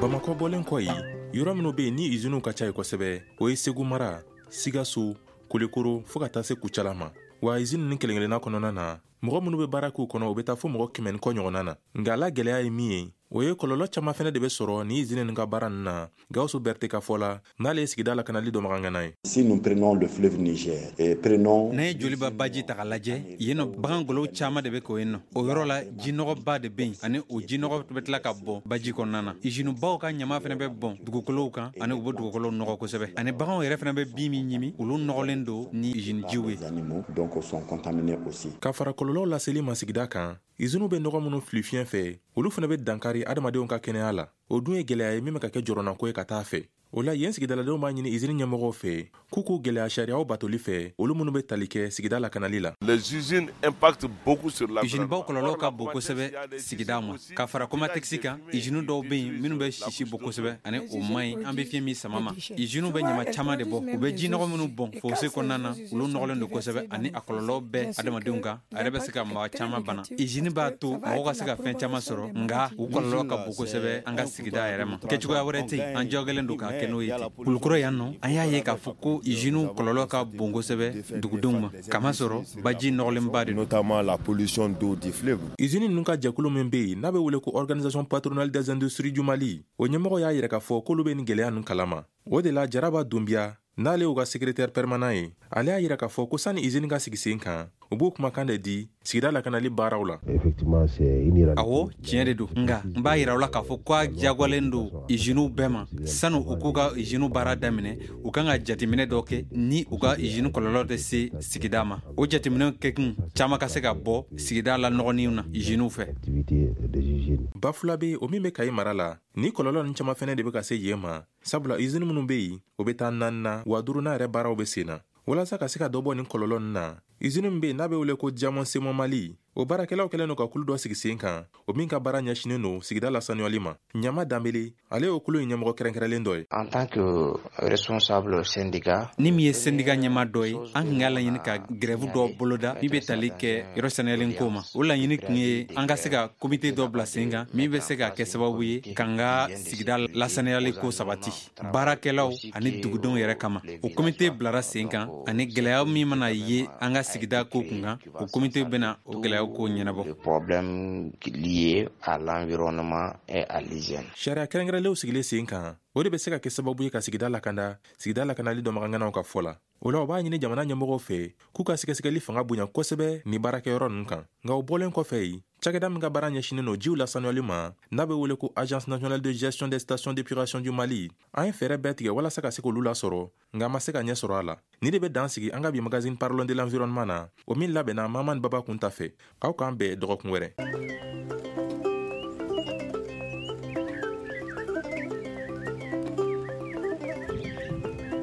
Bamakɔ bɔlen kɔ yen, yɔrɔ minnu bɛ yen ni iziniw ka ca yen kosɛbɛ, o ye Segu mara, Sikaso, Kulukoro, fo ka taa se Kucala ma. Wa izini ninnu kelen-kelenna kɔnɔna na, mɔgɔ minnu bɛ baara k'u kɔnɔ, u bɛ taa fo mɔgɔ 100 ni kɔ ɲɔgɔnna na. Nka la gɛlɛya ye min ye, o ye kɔlɔlɔ caman fɛnɛ de bɛ sɔrɔ ni izini ninnu ka baara ninnu na. Gawusu Berete ka fɔ la, n'ale ye sigida lakanali dɔnbagangana ye. Si nous prenons le fleuve Niger et prenons N'an ye Joliba baji ta k'a lajɛ, yen nɔ bagan golow caman de bɛ ko yen nɔ. O yɔrɔ la jinɔgɔba de bɛ yen, ani o jinɔgɔ bɛ tila ka bɔn baji kɔnɔna na. Izinubaw ka ɲama fɛnɛ bɛ bɔn dugukolow kan, ani u bɛ dugukolow nɔgɔ kosɛbɛ, ani baganw yɛrɛ fɛnɛ bɛ bin min ɲimi, olu nɔgɔlen don ni izinijiw ye. Les animaux donc sont contaminés aussi. Ka fara kɔlɔlɔw laseli ma sigida kan, iziniw bɛ nɔgɔ minnu fili fiɲɛ fɛ, olu fana bɛ dankari adamadenw ka kɛnɛya la. O dun ye gɛlɛya ye min bɛ ka kɛ jɔrɔnako ye ka taa fɛ. O la yen sigidaladenw b'a ɲini izini ɲɛmɔgɔw fɛ k'u k'u gɛlɛya sariyaw batoli fɛ, olu minnu bɛ tali kɛ sigida lakanali la. Les usines impactent beaucoup sur l'environnement. Izinibaw kɔlɔlɔ ka bon kosɛbɛ sigida ma. Ka fara Comatex kan, izini dɔw bɛ yen minnu bɛ sisi bɔ kosɛbɛ, ani o man ɲi an bɛ fiɲɛ min sama ma. Iziniw bɛ ɲama caman de bɔ, u bɛ jinɔgɔ minnu bɔn fosse kɔnɔna na, olu nɔgɔlen don kosɛbɛ, ani a kɔlɔlɔ bɛ adamadenw kan, a yɛrɛ bɛ se ka mɔgɔ caman bana. Izini b'a to mɔgɔw ka se ka fɛn caman sɔrɔ, nka u kɔlɔlɔ ka bon kosɛbɛ an ka sigida yɛrɛ ma. Kɛcogoya wɛrɛ tɛ yen, an jagoyalen don k'a kɛ n'o ye ten. Kulukɔrɔ yan nɔ, an y'a ye k'a fɔ ko iziniw kɔlɔlɔ ka bon kosɛbɛ dugudenw ma, kamasɔrɔ baji nɔgɔlenba de don, notamment la pollution d'eau du fleuve. Izini ninnu ka jɛkulu min bɛ yen n'a bɛ wele ko Organisation patronale des industries du Mali, o ɲɛmɔgɔ y'a yira k'a fɔ k'olu bɛ nin gɛlɛya ninnu kalama. O de la Jaraba Dunbiya, n'ale y'u ka secrétaire permanent ye, ale y'a yira k'a fɔ ko sani izini ka sigi sen kan, u b'o kumakan de di sigida lakanali baaraw la. Awɔ, tiɲɛ de don, nka n b'a yira aw la k'a fɔ ko a diyagoyalen don iziniw bɛɛ ma, sani u k'u ka iziniw baara daminɛ, u kan ka jateminɛ dɔ kɛ ni u ka izini kɔlɔlɔ tɛ se sigida ma. O jateminɛ kɛkun caman ka se ka bɔ sigida la nɔgɔninw na iziniw fɛ. Bafulabe, o min bɛ Kayi mara la, ni kɔlɔlɔ ninnu caman fɛnɛ de bɛ ka se yen ma, sabula izini minnu bɛ yen, o bɛ taa naani na, wa duurunan yɛrɛ baaraw bɛ sen na. Walasa ka se ka dɔ bɔ nin kɔlɔlɔ ninnu na, izini min bɛ yen n'a bɛ wele ko Diamond Cement Mali, o baarakɛlaw kɛlen don ka kulu dɔ sigi sen kan, o min ka baara ɲɛsinnen don sigida lasanuyali ma. Ɲama Danbele, ale y'o kulu in ɲɛmɔgɔ kɛrɛnkɛrɛnlen dɔ ye. En tant que responsable syndicat, Ni min ye syndicat ɲɛmaa dɔ ye, an tun y'a laɲini ka grève dɔ boloda min bɛ tali kɛ yɔrɔ sanuyalen ko ma. O laɲini tun ye an ka se ka comité dɔ bila sen kan min bɛ se ka kɛ sababu ye k'an ka sigida lasanuyali ko sabati baarakɛlaw ani dugudenw yɛrɛ kama. O comité bilara sen kan, ani gɛlɛya min mana ye an ka sigida ko kun kan, o comité bɛna o gɛlɛyaw ko ɲɛnabɔ. Problème lié à l'environnement et à l'hygiène. Sariya kɛrɛnkɛrɛnlenw sigilen sen kan, o de bɛ se ka kɛ sababu ye ka sigida lakanda, sigida lakanali dɔnbaganganaw ka fɔ la. O la u b'a ɲini jamana ɲɛmɔgɔw fɛ k'u ka sɛgɛsɛgɛli fanga bonya kosɛbɛ ni baarakɛyɔrɔ ninnu kan. Nka o bɔlen kɔfɛ yen, cakɛda min ka baara ɲɛsinnen don jiw lasanuyali ma, n'a bɛ wele ko Agence nationale de gestion des stations d'épuration du Mali, an ye fɛɛrɛ bɛɛ tigɛ walasa ka se k'olu lasɔrɔ, nka an ma se ka ɲɛ sɔrɔ a la. Ni de bɛ dan sigi an ka bi magazine Parlons de l'environnement na, o min labɛnna Mamani Baba Kunta fɛ. Aw k'an bɛn dɔgɔkun wɛrɛ.